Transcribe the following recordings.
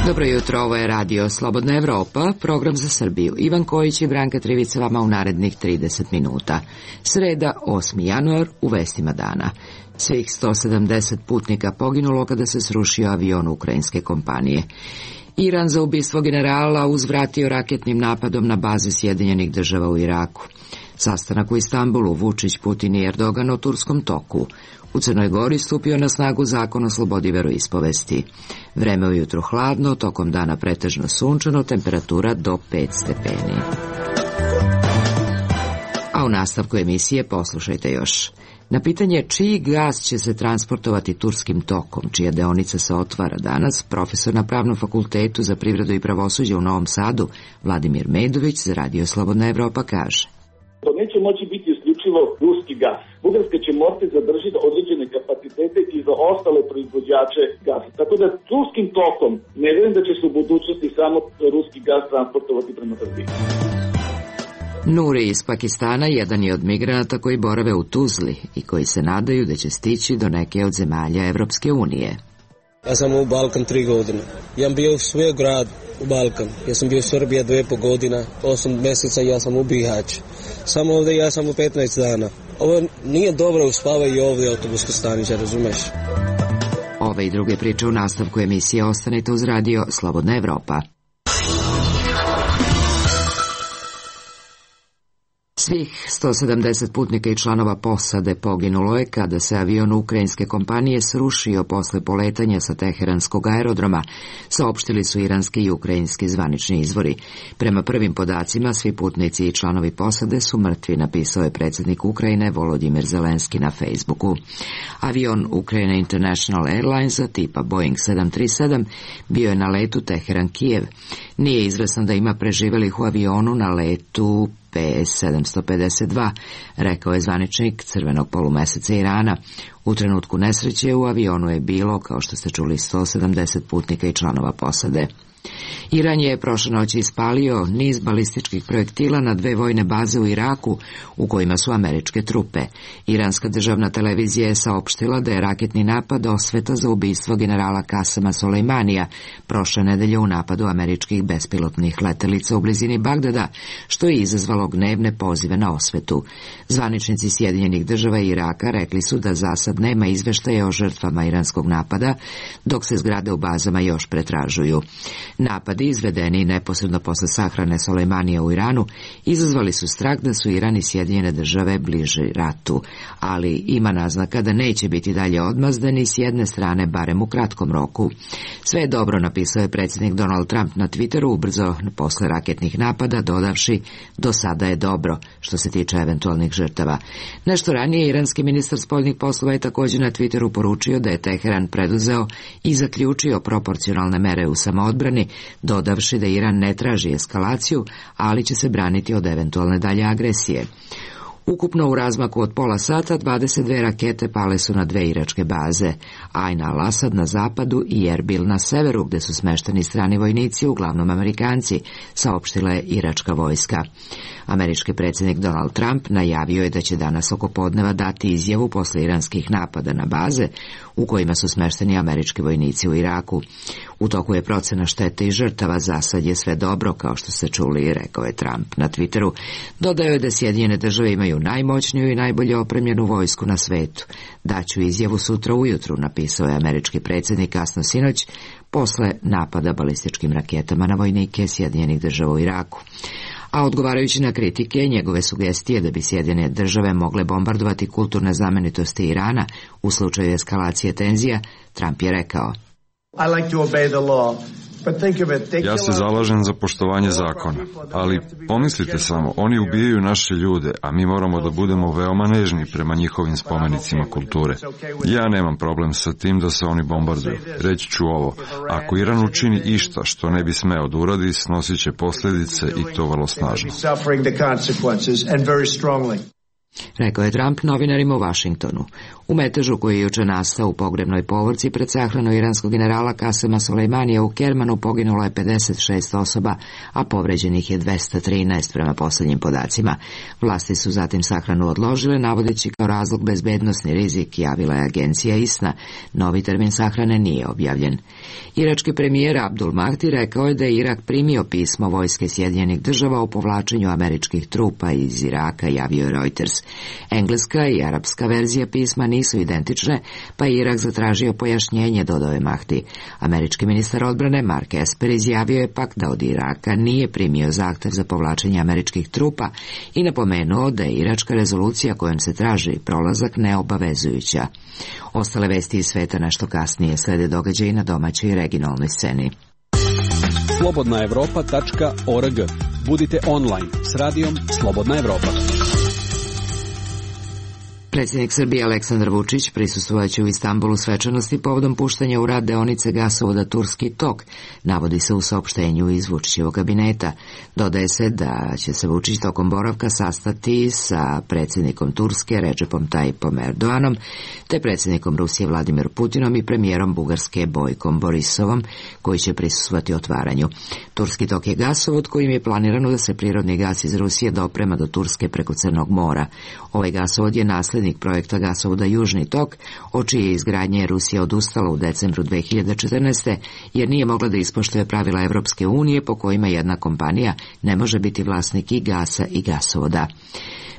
Dobro jutro, ovo je radio Slobodna Evropa, program za Srbiju. Ivan Kojić i Branka Trivica vama u narednih 30 minuta. Sreda, 8. januar, u vestima dana. Svih 170 putnika poginulo kada se srušio avion ukrajinske kompanije. Iran za ubistvo generala uzvratio raketnim napadom na baze Sjedinjenih Država u Iraku. Sastanak u Istanbulu, Vučić, Putin i Erdogan o turskom toku. U Crnoj Gori stupio na snagu zakon o slobodi veroispovesti. Vreme ujutru hladno, tokom dana pretežno sunčano, temperatura do 5 stepeni. A u nastavku emisije poslušajte još. Na pitanje čiji gas će se transportovati turskim tokom, čija deonica se otvara danas, profesor na Pravnom fakultetu za privredu i pravosuđe u Novom Sadu, Vladimir Medović, za Radio Slobodna Evropa kaže. To neće moći biti isključivo ruski gas. Bugarska će morati zadržiti određene kapacitete i za ostale proizvođače gasa. Tako da turskim tokom ne vjerujem da će se u budućnosti samo ruski gas transportovati prema Srbiji. Nuri iz Pakistana jedan je od migranata koji borave u Tuzli i koji se nadaju da će stići do neke od zemalja Evropske unije. Ja sam u Balkan 3 godine. Ja sam bio u svoj grad u Balkan. Ja sam bio u Srbiji 2,5 godina, 8 mjeseca ja sam u Bihać. Samo ovdje ja sam u 15 dana. Ovo nije dobro, uspavaju ovdje autobuska stanica, razumeš? Ove i druge priče u nastavku emisije ostanite uz Radio Slobodna Evropa. Svih 170 putnika i članova posade poginulo je kada se avion ukrajinske kompanije srušio posle poletanja sa teheranskog aerodroma, saopštili su iranski i ukrajinski zvanični izvori. Prema prvim podacima, svi putnici i članovi posade su mrtvi, napisao je predsjednik Ukrajine Volodimir Zelenski na Facebooku. Avion Ukraine International Airlinesa tipa Boeing 737 bio je na letu Teheran-Kijev. Nije izvesno da ima preživelih u avionu na letu PS-752, rekao je zvaničnik Crvenog polumeseca Irana. U trenutku nesreće u avionu je bilo, kao što ste čuli, 170 putnika i članova posade. Iran je prošle noći ispalio niz balističkih projektila na 2 vojne baze u Iraku u kojima su američke trupe. Iranska državna televizija je saopštila da je raketni napad osveta za ubistvo generala Kasema Solejmanija prošle nedelje u napadu američkih bespilotnih letelica u blizini Bagdada, što je izazvalo gnevne pozive na osvetu. Zvaničnici Sjedinjenih Država i Iraka rekli su da za sad nema izveštaja o žrtvama iranskog napada, dok se zgrade u bazama još pretražuju. Napadi, izvedeni neposredno posle sahrane Solejmanija u Iranu, izazvali su strah da su Iran i Sjedinjene Države bliži ratu, ali ima naznaka da neće biti dalje odmazdani s jedne strane, barem u kratkom roku. Sve je dobro, napisao je predsjednik Donald Trump na Twitteru ubrzo posle raketnih napada, dodavši: do sada je dobro što se tiče eventualnih žrtava. Nešto ranije iranski ministar spoljnih poslova je također na Twitteru poručio da je Teheran preduzeo i zaključio proporcionalne mere u samoodbrani, dodavši da Iran ne traži eskalaciju, ali će se braniti od eventualne dalje agresije. Ukupno u razmaku od pola sata 22 rakete pale su na 2 iračke baze, Ain al-Asad na zapadu i Erbil na severu, gde su smešteni strani vojnici, uglavnom Amerikanci, saopštila je iračka vojska. Američki predsjednik Donald Trump najavio je da će danas oko podneva dati izjavu posle iranskih napada na baze u kojima su smešteni američki vojnici u Iraku. U toku je procena štete i žrtava, za sad je sve dobro, kao što ste čuli, rekao je Trump na Twitteru. Dodao je da Sjedinjene Države imaju najmoćniju i najbolje opremljenu vojsku na svetu. Daću izjavu sutra ujutru, napisao je američki predsjednik kasno sinoć, posle napada balističkim raketama na vojnike Sjedinjenih Država u Iraku. A odgovarajući na kritike, njegove sugestije da bi Sjedinjene Države mogle bombardovati kulturne znamenitosti Irana u slučaju eskalacije tenzija, Trump je rekao: Ja se zalažem za poštovanje zakona, ali pomislite samo, oni ubijaju naše ljude, a mi moramo da budemo veoma nežni prema njihovim spomenicima kulture. Ja nemam problem sa tim da se oni bombarduju. Reći ću ovo: ako Iran učini išta što ne bi smeo da uradi, snosit će posljedice i to vrlo snažno. Rekao je Trump novinarima u Vašingtonu. U metežu koji je juče nastao u pogrebnoj povorci pred sahranu iranskog generala Kasema Sulejmanija u Kermanu poginulo je 56 osoba, a povređenih je 213 prema posljednjim podacima. Vlasti su zatim sahranu odložile, navodeći kao razlog bezbednosni rizik, javila je agencija ISNA. Novi termin sahrane nije objavljen. Irački premijer Abdul Mahdi rekao je da je Irak primio pismo vojske Sjedinjenih država o povlačenju američkih trupa iz Iraka, javio je Reuters. Engleska i arapska verzija pisma nisu identične, pa je Irak zatražio pojašnjenje, dodao je Mahdi. Američki ministar odbrane Mark Esper izjavio je pak da od Iraka nije primio zahtev za povlačenje američkih trupa i napomenuo da je iračka rezolucija kojom se traži prolazak neobavezujuća. Ostale vesti iz sveta nešto kasnije, slede događaji na domaćoj i regionalnoj sceni. slobodnaevropa.org. Budite online s radijom Slobodna Evropa. Predsjednik Srbije Aleksandar Vučić prisustvovaće u Istanbulu svečanosti povodom puštanja u rad deonice gasovoda Turski tok, navodi se u saopštenju iz Vučićevog kabineta. Dodaje se da će se Vučić tokom boravka sastati sa predsjednikom Turske Recepom Tayyipom Erdoganom, te predsjednikom Rusije Vladimirom Putinom i premijerom Bugarske Bojkom Borisovom, koji će prisustvovati otvaranju. Turski tok je gasovod kojim je planirano da se prirodni gas iz Rusije doprema do Turske preko Crnog mora. Ovaj gasovod je naslednik projekta gasovoda Južni tok, od čije izgradnje je Rusija odustala u decembru 2014. jer nije mogla da ispoštuje pravila Evropske unije po kojima jedna kompanija ne može biti vlasnik i gasa i gasovoda.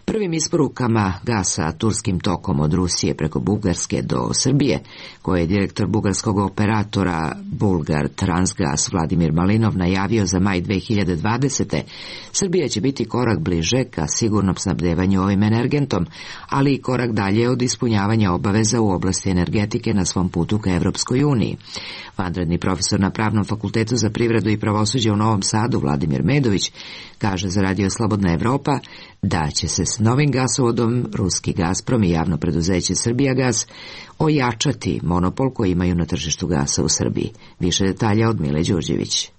Prvim isporukama gasa turskim tokom od Rusije preko Bugarske do Srbije, koje je direktor bugarskog operatora Bulgar Transgas Vladimir Malinov najavio za maj 2020. Srbija će biti korak bliže ka sigurnom snabdevanju ovim energentom, ali i korak dalje od ispunjavanja obaveza u oblasti energetike na svom putu ka Evropskoj uniji. Vanredni profesor na Pravnom fakultetu za privredu i pravosuđe u Novom Sadu Vladimir Medović kaže za Radio Slobodna Evropa da će se s novim gasovodom Ruski Gazprom i javno preduzeće Srbijagas ojačati monopol koji imaju na tržištu gasa u Srbiji. Više detalja od Mile Đurđević.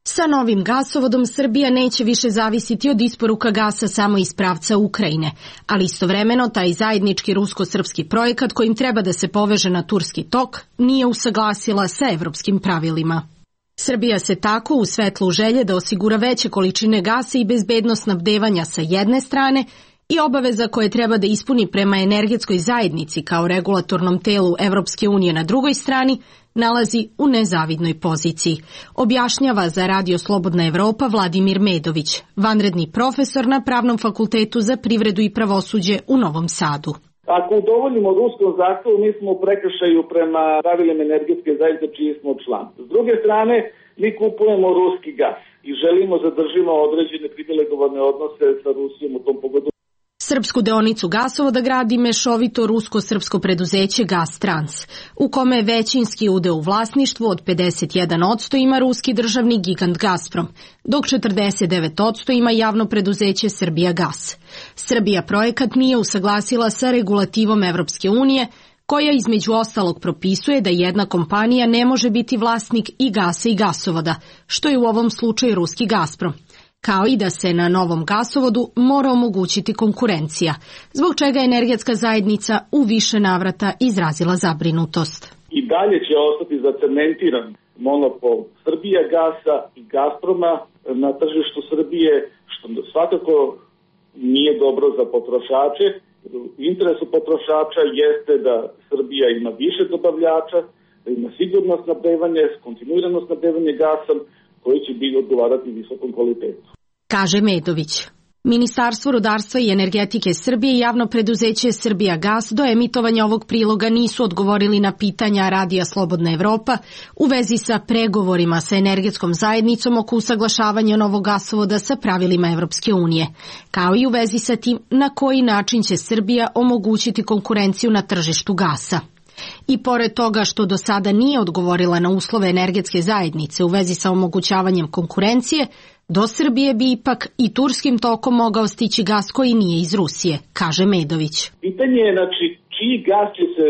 Sa novim gasovodom Srbija neće više zavisiti od isporuka gasa samo iz pravca Ukrajine, ali istovremeno taj zajednički rusko-srpski projekat kojim treba da se poveže na Turski tok nije usaglasila sa evropskim pravilima. Srbija se tako u svetlu želje da osigura veće količine gasa i bezbednost snabdevanja sa jedne strane i obaveza koje treba da ispuni prema energetskoj zajednici kao regulatornom telu Evropske unije na drugoj strani, nalazi u nezavidnoj poziciji, objašnjava za Radio Slobodna Evropa Vladimir Medović, vanredni profesor na Pravnom fakultetu za privredu i pravosuđe u Novom Sadu. Ako udovoljimo ruskom zahtevu, mi smo u prekršaju prema pravilima energetske zajednice čiji smo član. S druge strane, mi kupujemo ruski gas i želimo zadržimo određene privilegovane odnose sa Rusijom u tom pogledu. Srpsku deonicu gasovoda gradi mešovito rusko-srpsko preduzeće Gastrans, u kome većinski udeo u vlasništvu od 51% ima ruski državni gigant Gazprom, dok 49% ima javno preduzeće Srbijagas. Srbija projekat nije usaglasila sa regulativom Evropske unije, koja između ostalog propisuje da jedna kompanija ne može biti vlasnik i gasa i gasovoda, što je u ovom slučaju ruski Gazprom, kao i da se na novom gasovodu mora omogućiti konkurencija, zbog čega energetska zajednica u više navrata izrazila zabrinutost. I dalje će ostati zacementiran monopol Srbijagasa i Gazproma na tržištu Srbije, što svakako nije dobro za potrošače. U interesu potrošača jeste da Srbija ima više dobavljača, da ima sigurno snabdevanje, kontinuirano snabdevanje gasom, koji će biti odgovarati visokom kvalitetu. Kaže Medović. Ministarstvo rudarstva i energetike Srbije i javno preduzeće Srbijagas do emitovanja ovog priloga nisu odgovorili na pitanja Radija Slobodna Evropa u vezi sa pregovorima sa energetskom zajednicom oko usaglašavanja novog gasovoda sa pravilima Evropske unije, kao i u vezi sa tim na koji način će Srbija omogućiti konkurenciju na tržištu gasa. I pored toga što do sada nije odgovorila na uslove energetske zajednice u vezi sa omogućavanjem konkurencije, do Srbije bi ipak i turskim tokom mogao stići gas koji nije iz Rusije, kaže Medović. Pitanje je, čiji gas će se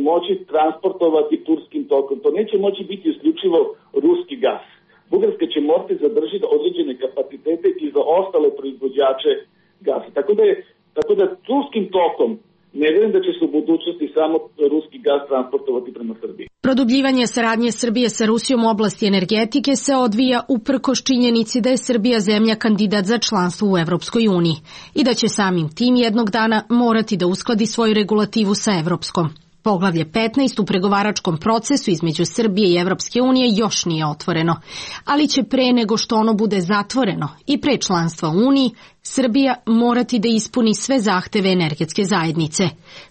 moći transportovati turskim tokom. To neće moći biti isključivo ruski gas. Bugarska će morati zadržiti određene kapacitete i za ostale proizvođače gasa. Tako da turskim tokom ne vjerujem da će se u budućnosti samo ruski gas transportovati prema Srbiji. Produbljivanje saradnje Srbije sa Rusijom u oblasti energetike se odvija uprkos činjenici da je Srbija zemlja kandidat za članstvo u Evropskoj uniji i da će samim tim jednog dana morati da uskladi svoju regulativu sa evropskom. Poglavlje 15 u pregovaračkom procesu između Srbije i Evropske unije još nije otvoreno, ali će pre nego što ono bude zatvoreno i pre članstva u Uniji, Srbija morati da ispuni sve zahteve energetske zajednice.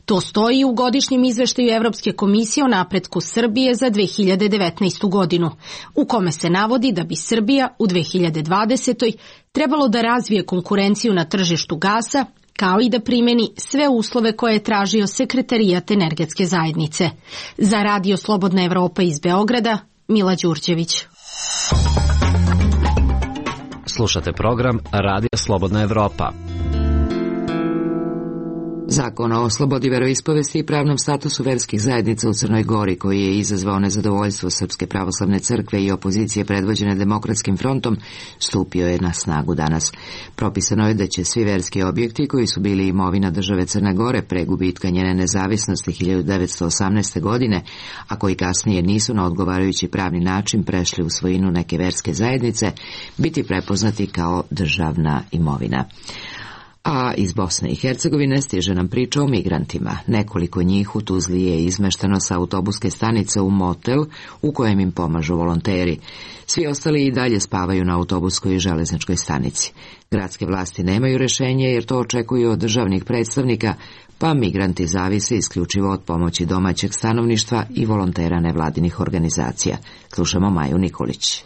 To stoji u godišnjem izveštaju Evropske komisije o napretku Srbije za 2019. godinu, u kome se navodi da bi Srbija u 2020. trebalo da razvije konkurenciju na tržištu gasa, kao i da primeni sve uslove koje je tražio Sekretarijat energetske zajednice. Za Radio Slobodna Evropa iz Beograda, Mila Đurđević. Slušate program Radio Slobodna Evropa. Zakon o slobodi veroispovesti i pravnom statusu verskih zajednica u Crnoj Gori, koji je izazvao nezadovoljstvo Srpske pravoslavne crkve i opozicije predvođene Demokratskim frontom, stupio je na snagu danas. Propisano je da će svi verski objekti koji su bili imovina države Crne Gore pre gubitka njene nezavisnosti 1918. godine, a koji kasnije nisu na odgovarajući pravni način prešli u svojinu neke verske zajednice, biti prepoznati kao državna imovina. A iz Bosne i Hercegovine stiže nam priča o migrantima. Nekoliko njih u Tuzli je izmešteno sa autobuske stanice u motel u kojem im pomažu volonteri. Svi ostali i dalje spavaju na autobuskoj i železničkoj stanici. Gradske vlasti nemaju rešenje jer to očekuju od državnih predstavnika, pa migranti zavise isključivo od pomoći domaćeg stanovništva i volontera nevladinih organizacija. Slušamo Maju Nikolić.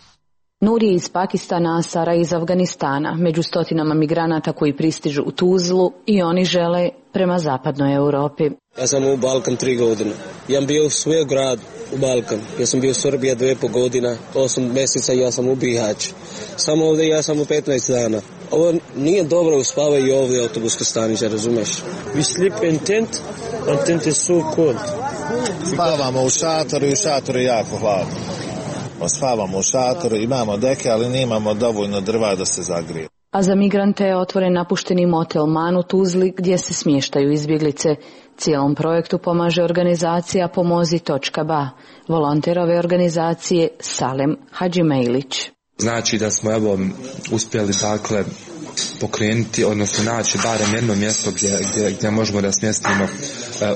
Nur je iz Pakistana, a Sara iz Afganistana, među stotinama migranata koji pristižu u Tuzlu i oni žele prema zapadnoj Europi. Ja sam u Balkan 3 godine. Ja sam bio u svoj grad u Balkan. Ja sam bio u Srbiji 2,5 godina, 8 mjeseca ja sam u Bihać. Samo ovdje ja sam u 15 dana. Ovo nije dobro, uspavaju ovdje autobuske stanice, razumeš? We sleep in tent, and tent is so cold. Spavamo u šatoru i u šatoru je jako hladno. Spavamo u šatoru, imamo deke, ali nemamo dovoljno drva da se zagrije. A za migrante je otvoren napušteni motel Man u Tuzli gdje se smještaju izbjeglice. Cijelom projektu pomaže organizacija Pomozi.ba, volonter ove organizacije Salem Hadžimejlić. Znači da smo uspjeli pokrenuti, odnosno naći barem jedno mjesto gdje možemo da smjestimo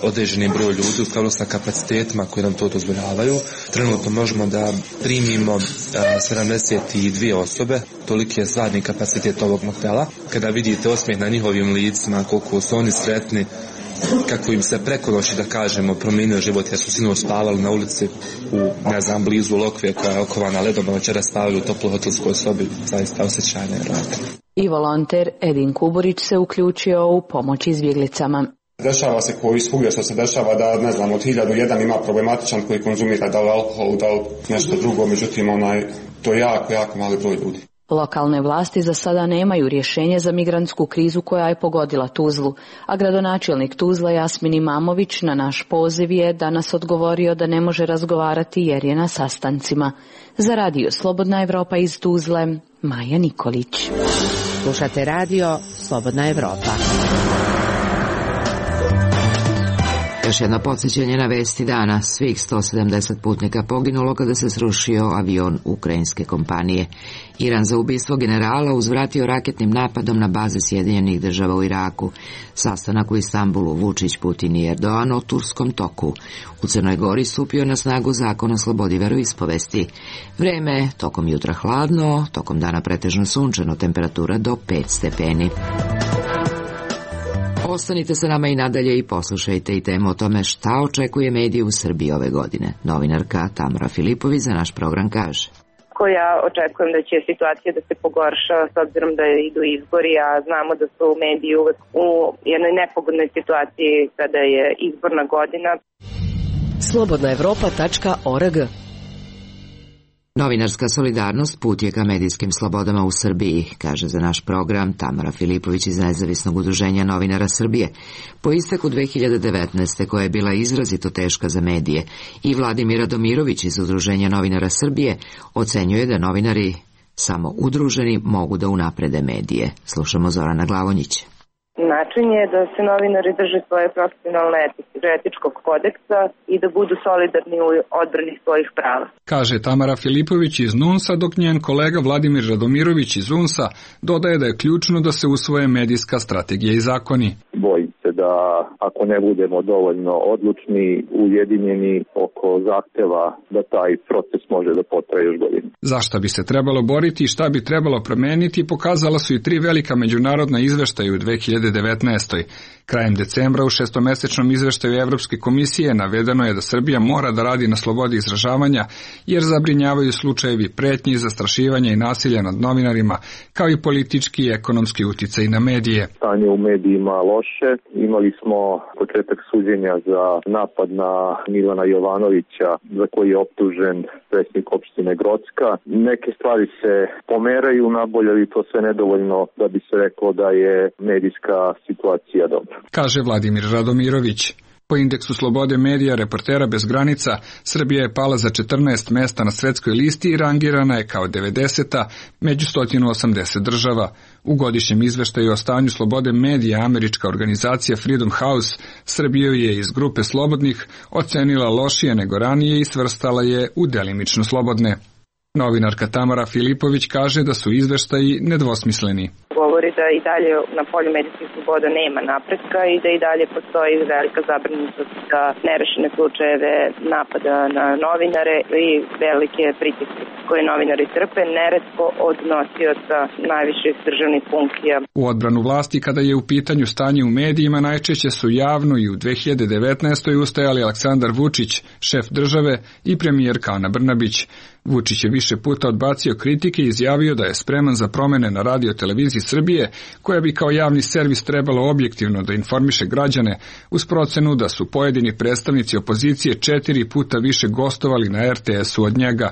određeni broj ljudi u skladu sa kapacitetima koji nam to dozvoljavaju. Trenutno možemo da primimo 72 osobe, toliki je stvarni kapacitet ovog motela. Kada vidite osmijeh na njihovim licima, koliko su oni sretni, kako im se preko noći, da kažemo, promijenio život, jer su sinoć spavali na ulici blizu Lokve koja je okovana ledom, a večeras spavali u toploj hotelskoj sobi, zaista osjećaj nevjerojatno. I volonter Edin Kuburić se uključio u pomoć izbjeglicama. Dešava se koji svugdje što se dešava da, ne znam, od 1001 ima problematičan koji konzumira da li alkohol, da li nešto drugo, međutim to je jako mali broj ljudi. Lokalne vlasti za sada nemaju rješenje za migrantsku krizu koja je pogodila Tuzlu, a gradonačelnik Tuzla Jasmin Imamović na naš poziv je danas odgovorio da ne može razgovarati jer je na sastancima. Za Radio Slobodna Evropa iz Tuzle, Maja Nikolić. Slušate Radio Slobodna Evropa. Još jedno podsjećanje na vesti dana. Svih 170 putnika poginulo kada se srušio avion ukrajinske kompanije. Iran za ubistvo generala uzvratio raketnim napadom na baze Sjedinjenih Država u Iraku. Sastanak u Istanbulu Vučić, Putin i Erdogan o turskom toku. U Crnoj Gori stupio na snagu zakon o slobodi veroispovesti. Vreme tokom jutra hladno, tokom dana pretežno sunčano, temperatura do 5 stepeni. Ostanite sa nama i nadalje i poslušajte i temu o tome šta očekuje medije u Srbiji ove godine. Novinarka Tamara Filipović za naš program kaže. Ja očekujem da će situacija da se pogorša s obzirom da idu izbori, a znamo da su mediji uvek u jednoj nepogodnoj situaciji kada je izborna godina. Slobodnaevropa.org. Novinarska solidarnost put je ka medijskim slobodama u Srbiji, kaže za naš program Tamara Filipović iz Nezavisnog udruženja novinara Srbije. Po isteku 2019. koja je bila izrazito teška za medije, i Vladimir Radomirović iz Udruženja novinara Srbije ocenjuje da novinari samo udruženi mogu da unaprede medije. Slušamo Zorana Glavonjića. Na način je da se novinari drže svoje profesionalne etičkog kodeksa i da budu solidarni u odbrani svojih prava. Kaže Tamara Filipović iz NUNS-a, dok njen kolega Vladimir Radomirović iz UNS-a dodaje da je ključno da se usvoje medijska strategija i zakoni. Bojim se da ako ne budemo dovoljno odlučni, ujedinjeni oko zahteva, da taj proces može da potraje još godinu. Za šta bi se trebalo boriti i šta bi trebalo promeniti pokazala su i 3 velika međunarodna izveštaja u 2019. Krajem decembra u 6-mesečnom izveštaju Evropske komisije navedeno je da Srbija mora da radi na slobodi izražavanja jer zabrinjavaju slučajevi pretnji, zastrašivanja i nasilja nad novinarima, kao i politički i ekonomski uticaj na medije. Stanje u medijima loše. Imali smo početak suđenja za napad na Milana Jovanovića, za koji je optužen predsjednik opštine Grocka. Neke stvari se pomeraju nabolje, ali to sve nedovoljno da bi se reklo da je medijska situacija dobra. Kaže Vladimir Radomirović. Po indeksu slobode medija Reportera bez granica, Srbija je pala za 14 mesta na svetskoj listi i rangirana je kao 90. među 180 država. U godišnjem izveštaju o stanju slobode medija američka organizacija Freedom House Srbiju je iz grupe slobodnih ocenila lošije nego ranije i svrstala je u delimično slobodne. Novinarka Tamara Filipović kaže da su izveštaji nedvosmisleni. Govori da i dalje na polju medijskih sloboda nema napretka i da i dalje postoji velika zabrinutost za nerešene slučajeve napada na novinare i velike pritiske koje novinari trpe, neretko od nosioca najviših državnih funkcija. U odbranu vlasti kada je u pitanju stanje u medijima najčešće su javno i u 2019. ustajali Aleksandar Vučić, šef države, i premijerka Ana Brnabić. Vučić je više puta odbacio kritike i izjavio da je spreman za promene na Radio-televiziji Srbije, koja bi kao javni servis trebalo objektivno da informiše građane, uz procenu da su pojedini predstavnici opozicije 4 puta više gostovali na RTS-u od njega.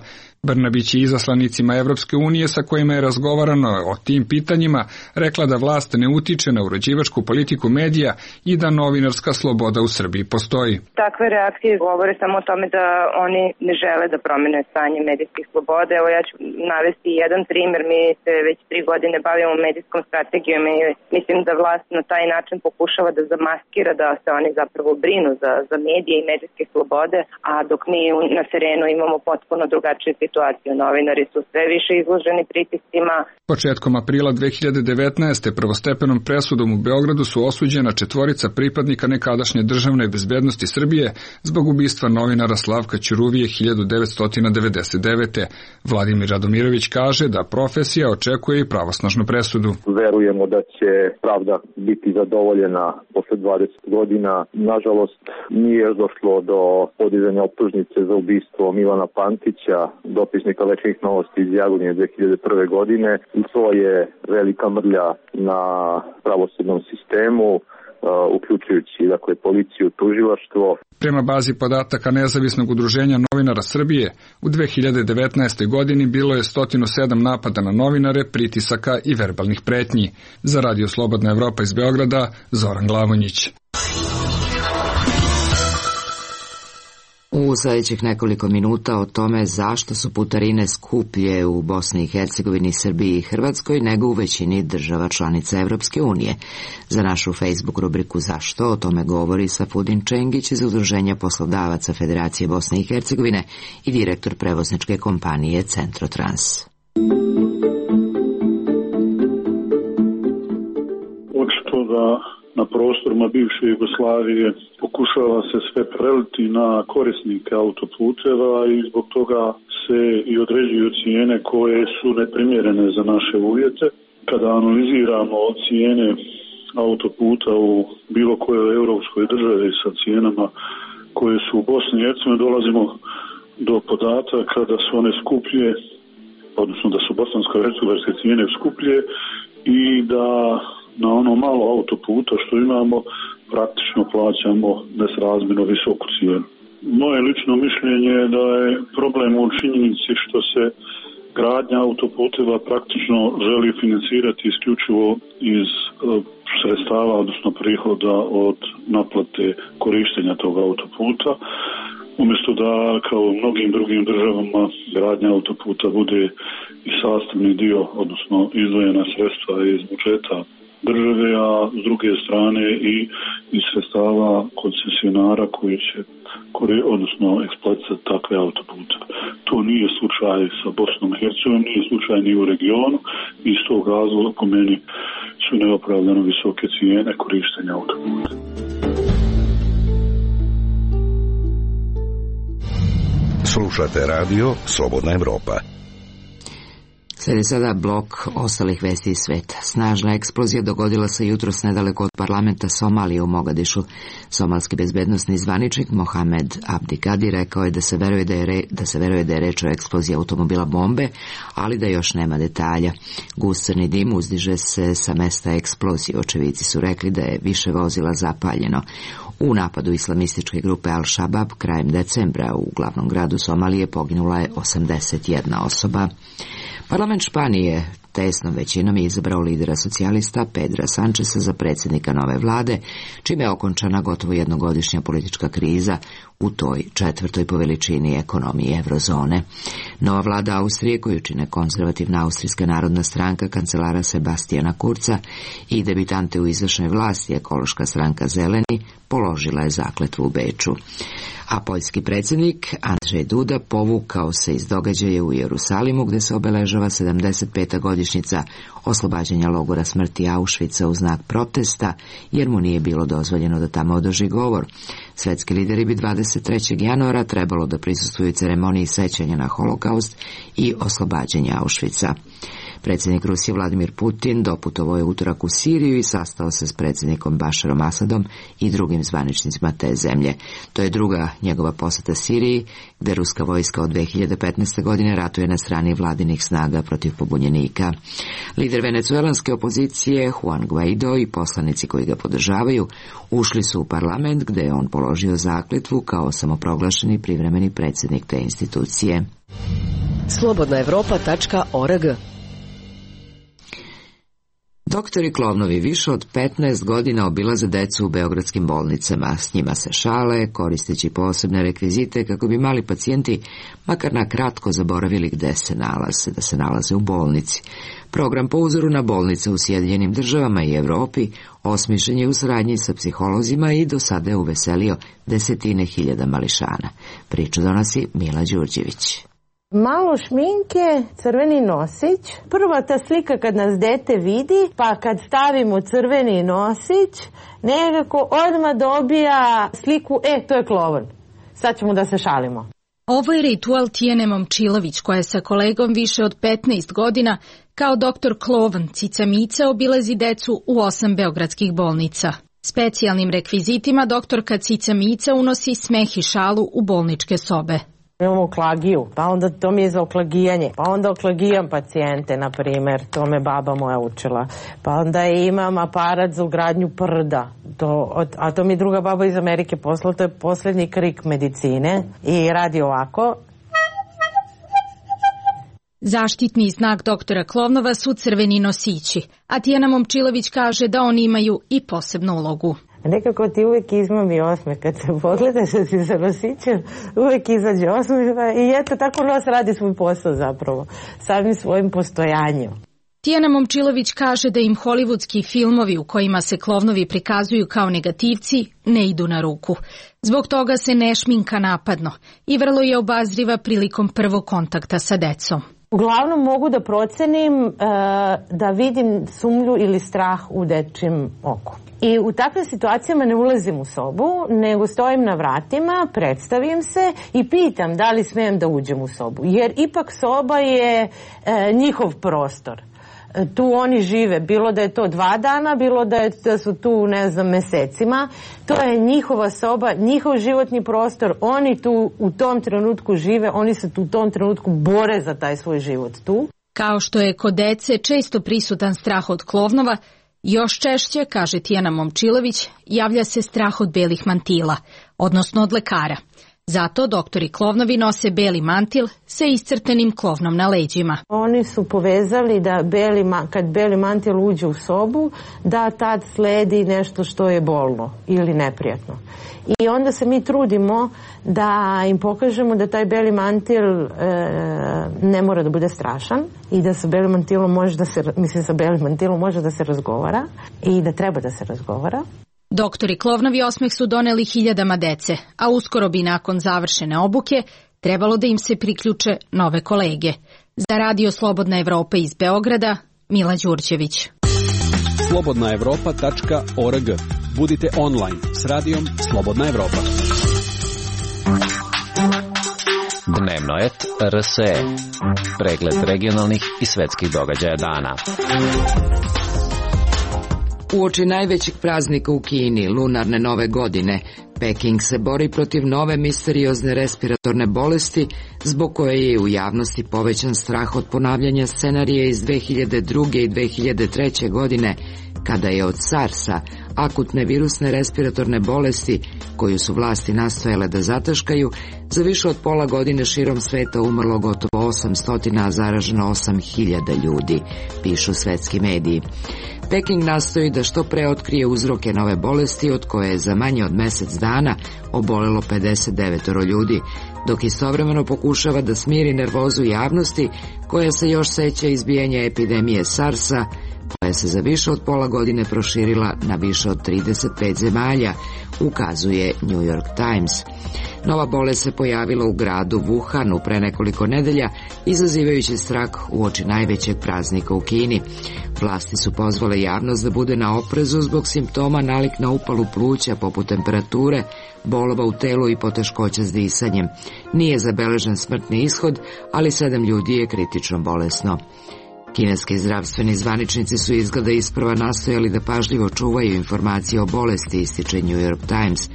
Brnabić je izaslanicima Evropske unije sa kojima je razgovarano o tim pitanjima rekla da vlast ne utiče na uređivačku politiku medija i da novinarska sloboda u Srbiji postoji. Takve reakcije govore samo o tome da oni ne žele da promene stanje medijskih sloboda. Evo ja ću navesti jedan primer. Mi se već 3 godine bavimo medijskom strategijom i mislim da vlast na taj način pokušava da zamaskira da se oni zapravo brinu za medije i medijske slobode, a dok mi na terenu imamo potpuno drugačije situaciju. Novinari su sve više izloženi pritiscima. Početkom aprila 2019. prvostepenom presudom u Beogradu su osuđena 4 pripadnika nekadašnje državne bezbednosti Srbije zbog ubistva novinara Slavka Ćuruvije 1999. Vladimir Radomirović kaže da profesija očekuje i pravosnažnu presudu. Verujemo da će pravda biti zadovoljena posle 20 godina. Nažalost, nije došlo do podizanja optužnice za ubistvo Milana Pantića, dopisnika Večernjih novosti iz Jagodnje 2001. godine, i to je velika mrlja na pravosudnom sistemu, uključujući policiju, tužilaštvo. Prema bazi podataka Nezavisnog udruženja novinara Srbije, u 2019. godini bilo je 107 napada na novinare, pritisaka i verbalnih pretnji. Za Radio Slobodna Evropa iz Beograda, Zoran Glavonjić. U sljedećih nekoliko minuta o tome zašto su putarine skuplje u Bosni i Hercegovini, Srbiji i Hrvatskoj nego u većini država članica Evropske unije. Za našu Facebook rubriku Zašto o tome govori Safudin Čengić iz Udruženja poslodavaca Federacije Bosne i Hercegovine i direktor prevozničke kompanije Centrotrans. Očito da na prostorima bivše Jugoslavije pokušava se sve preliti na korisnike autoputeva i zbog toga se i određuju cijene koje su neprimjerene za naše uvjete. Kada analiziramo cijene autoputa u bilo kojoj europskoj državi sa cijenama koje su u Bosni i Hercegovini, dolazimo do podataka da su one skuplje, odnosno da su bosansko-hercegovačke cijene skuplje i da na ono malo autoputa što imamo praktično plaćamo nesrazmjerno visoku cijenu. Moje lično mišljenje je da je problem u činjenici što se gradnja autoputeva praktično želi financirati isključivo iz sredstava, odnosno prihoda od naplate korištenja tog autoputa, umjesto da kao u mnogim drugim državama gradnja autoputa bude i sastavni dio, odnosno izdvojena sredstva iz budžeta države, a s druge strane i iz sredstava koncesionara koji će odnosno eksploatirati takve autopute. To nije slučaj sa Bosnom i Hercegovinom, nije slučaj ni u regionu i iz tog razloga po meni su neopravdano visoke cijene korištenja autoputa. Slušate radio Slobodna Evropa. Slijedi sada blok ostalih vesti iz sveta. Snažna eksplozija dogodila se jutros nedaleko od parlamenta Somalije u Mogadišu. Somalski bezbednosni zvaničnik Mohamed Abdi Kadi rekao je da se veruje da je reč o eksploziji automobila bombe, ali da još nema detalja. Gust crni dim uzdiže se sa mesta eksplozije. Očevici su rekli da je više vozila zapaljeno. U napadu islamističke grupe Al-Shabaab krajem decembra u glavnom gradu Somalije poginula je 81 osoba. Parlament Španije tesnom većinom je izabrao lidera socijalista Pedra Sančesa za predsjednika nove vlade, čime je okončana gotovo jednogodišnja politička kriza u toj četvrtoj po veličini ekonomiji eurozone. Nova vlada Austrije, koju čine konzervativna Austrijska narodna stranka kancelara Sebastijana Kurca i debitante u izvršnoj vlasti ekološka stranka Zeleni, položila je zakletvu u Beču. A poljski predsjednik Andrzej Duda povukao se iz događaja u Jerusalimu, gdje se obeležava 75. godišnjica oslobađanja logora smrti Auschwitza u znak protesta, jer mu nije bilo dozvoljeno da tamo održi govor. Svetski lideri bi 23. januara trebalo da prisustvuju ceremoniji sećanja na holokaust i oslobađanja Auschwitza. Predsjednik Rusije Vladimir Putin doputovao je utorak u Siriju i sastao se s predsjednikom Bašarom Asadom i drugim zvaničnicima te zemlje. To je druga njegova posjeta Siriji, gdje ruska vojska od 2015. godine ratuje na strani vladinih snaga protiv pobunjenika. Lider venecuelanske opozicije Juan Guaido i poslanici koji ga podržavaju ušli su u parlament, gdje je on položio zakletvu kao samoproglašeni privremeni predsjednik te institucije. slobodnaevropa.org. Doktori Klovnovi više od 15 godina obilaze decu u beogradskim bolnicama. S njima se šale, koristeći posebne rekvizite kako bi mali pacijenti makar na kratko zaboravili gde se nalaze, da se nalaze u bolnici. Program po uzoru na bolnice u Sjedinjenim Državama i Evropi osmišljen je u saradnji sa psiholozima i do sada je uveselio desetine hiljada mališana. Priču donosi Mila Đurđević. Malo šminke, crveni nosić. Prva ta slika kad nas dete vidi, pa kad stavimo crveni nosić, nekako odmah dobija sliku, to je Klovan. Sad ćemo da se šalimo. Ovo je ritual Tijene Momčilović, koja je sa kolegom više od 15 godina kao doktor Klovan Cica Mica obilazi decu u 8 beogradskih bolnica. Specijalnim rekvizitima doktorka Cica Mica unosi smeh i šalu u bolničke sobe. Imamo oklagiju, pa onda to mi je za oklagijanje, pa onda oklagijam pacijente, na primjer, to me baba moja učila. Pa onda imam aparat za ugradnju prda, a to mi druga baba iz Amerike poslala, to je posljednji krik medicine i radi ovako. Zaštitni znak doktora Klovnova su crveni nosići, a Tijana Momčilović kaže da oni imaju i posebnu ulogu. Nekako ti uvijek izmami osmeh, kad se pogledaš da si sa nosićem, uvijek izađe osmeh i eto, tako nos radi svoj posao zapravo, samim svojim postojanjem. Tijana Momčilović kaže da im hollywoodski filmovi u kojima se Klovnovi prikazuju kao negativci ne idu na ruku. Zbog toga se ne šminka napadno i vrlo je obazriva prilikom prvog kontakta sa decom. Uglavnom mogu da procenim da vidim sumnju ili strah u dečjem oku. I u takvim situacijama ne ulazim u sobu, nego stojim na vratima, predstavim se i pitam da li smijem da uđem u sobu. Jer ipak soba je njihov prostor. Tu oni žive, bilo da je to 2 dana, bilo da su tu, mesecima. To je njihova soba, njihov životni prostor. Oni tu u tom trenutku žive, oni se tu u tom trenutku bore za taj svoj život tu. Kao što je kod dece često prisutan strah od Klovnova, još češće, kaže Tijana Momčilović, javlja se strah od belih mantila, odnosno od lekara. Zato doktori klovnovi nose beli mantil sa iscrtenim klovnom na leđima. Oni su povezali da kad beli mantil uđe u sobu, da tad sledi nešto što je bolno ili neprijatno. I onda se mi trudimo da im pokažemo da taj beli mantil ne mora da bude strašan i da sa belim mantilom može da se razgovara i da treba da se razgovara. Doktori klovnovi osmeh su doneli hiljadama dece, a uskoro bi nakon završene obuke trebalo da im se priključe nove kolege. Za Radio Slobodna Evropa iz Beograda, Mila Đurđević. slobodnaevropa.org. Budite online s radijom Slobodna Evropa. Dnevno et RSE. Pregled regionalnih i svetskih događaja dana. Uoči najvećeg praznika u Kini, lunarne nove godine, Peking se bori protiv nove misteriozne respiratorne bolesti, zbog koje je u javnosti povećan strah od ponavljanja scenarija iz 2002. i 2003. godine, kada je od SARS-a, akutne virusne respiratorne bolesti, koju su vlasti nastojale da zataškaju, za više od pola godine širom sveta umrlo gotovo 800, a zaraženo 8000 ljudi, pišu svetski mediji. Peking nastoji da što pre otkrije uzroke nove bolesti, od koje je za manje od mesec dana obolelo 59 ljudi, dok istovremeno pokušava da smiri nervozu javnosti, koja se još seća izbijanja epidemije SARS-a, koja se za više od pola godine proširila na više od 35 zemalja, ukazuje New York Times. Nova bolest se pojavila u gradu Wuhanu pre nekoliko nedelja, izazivajući strah uoči najvećeg praznika u Kini. Vlasti su pozvale javnost da bude na oprezu zbog simptoma nalik na upalu pluća poput temperature, bolova u telu i poteškoća s disanjem. Nije zabeležen smrtni ishod, ali 7 ljudi je kritično bolesno. Kineski zdravstveni zvaničnici su izgleda isprva nastojali da pažljivo čuvaju informacije o bolesti, ističe New York Times.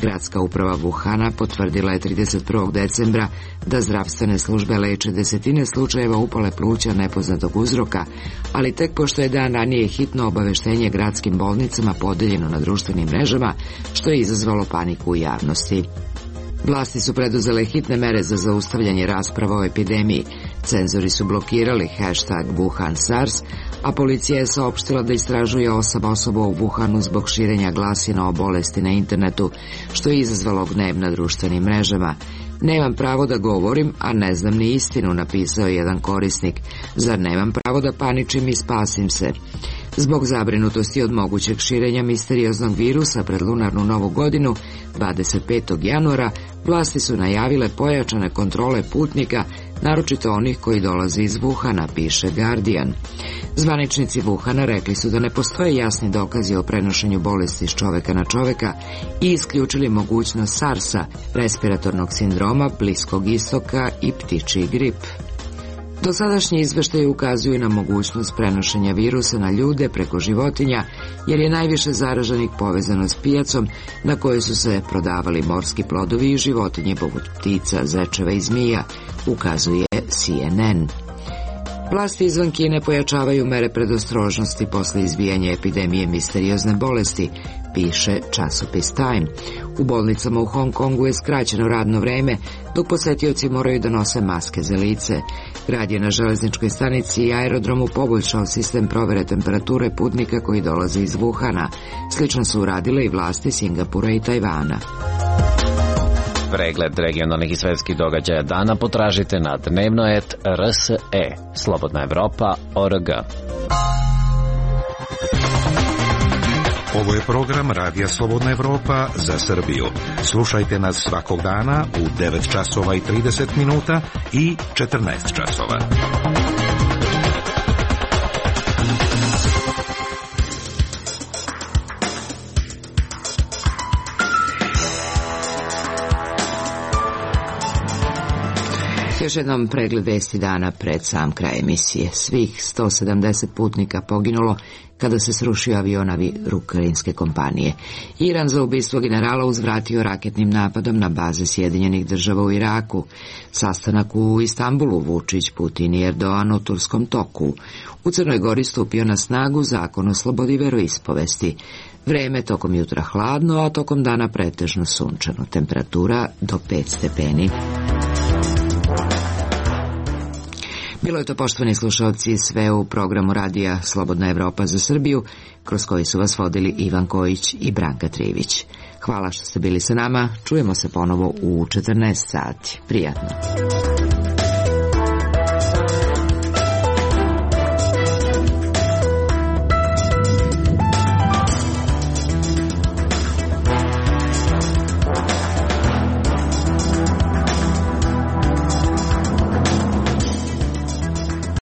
Gradska uprava Wuhana potvrdila je 31. decembra da zdravstvene službe leče desetine slučajeva upale pluća nepoznatog uzroka, ali tek pošto je dan ranije hitno obaveštenje gradskim bolnicama podeljeno na društvenim mrežama, što je izazvalo paniku u javnosti. Vlasti su preduzele hitne mere za zaustavljanje rasprava o epidemiji. Cenzori su blokirali hashtag Wuhan SARS, a policija je saopštila da istražuje 8 osoba u Wuhanu zbog širenja glasina o bolesti na internetu, što je izazvalo gnev na društvenim mrežama. Nemam pravo da govorim, a ne znam ni istinu, napisao je jedan korisnik. Zar nemam pravo da paničim i spasim se? Zbog zabrinutosti od mogućeg širenja misterioznog virusa pred lunarnu novu godinu, 25. januara, vlasti su najavile pojačane kontrole putnika, naročito onih koji dolaze iz Wuhana, piše Guardian. Zvaničnici Wuhana rekli su da ne postoje jasni dokazi o prenošenju bolesti s čoveka na čoveka i isključili mogućnost SARS-a, respiratornog sindroma, Bliskog istoka i ptičji grip. Dosadašnji izveštaji ukazuju na mogućnost prenošenja virusa na ljude preko životinja, jer je najviše zaraženih povezano s pijacom na kojoj su se prodavali morski plodovi i životinje poput ptica, zečeva i zmija, ukazuje CNN. Vlasti izvan Kine pojačavaju mere predostrožnosti posle izbijanja epidemije misteriozne bolesti, piše časopis Time. U bolnicama u Hong Kongu je skraćeno radno vreme, dok posetioci moraju da nose maske za lice. Grad je na železničkoj stanici i aerodromu poboljšao sistem provere temperature putnika koji dolaze iz Wuhana. Slično su uradile i vlasti Singapura i Tajvana. Pregled regionalnih i svetskih događaja dana potražite na dnevnoet.rse, slobodnaevropa.org. Ovo je program Radija Slobodna Evropa za Srbiju. Slušajte nas svakog dana u 9 časova i 30 minuta i 14 časova. Još jednom pregled vesti dana pred sam kraj emisije. Svih 170 putnika poginulo kada se srušio avion ukrajinske kompanije. Iran za ubistvo generala uzvratio raketnim napadom na baze Sjedinjenih Država u Iraku. Sastanak u Istanbulu, Vučić, Putin i Erdogan u turskom toku. U Crnoj Gori stupio na snagu zakon o slobodi veroispovesti. Vreme tokom jutra hladno, a tokom dana pretežno sunčano. Temperatura do 5 stepeni. Bilo je to, poštovani slušalci, sve u programu radija Slobodna Evropa za Srbiju, kroz koji su vas vodili Ivan Kojić i Branka Trivić. Hvala što ste bili sa nama, čujemo se ponovo u 14 sati. Prijatno.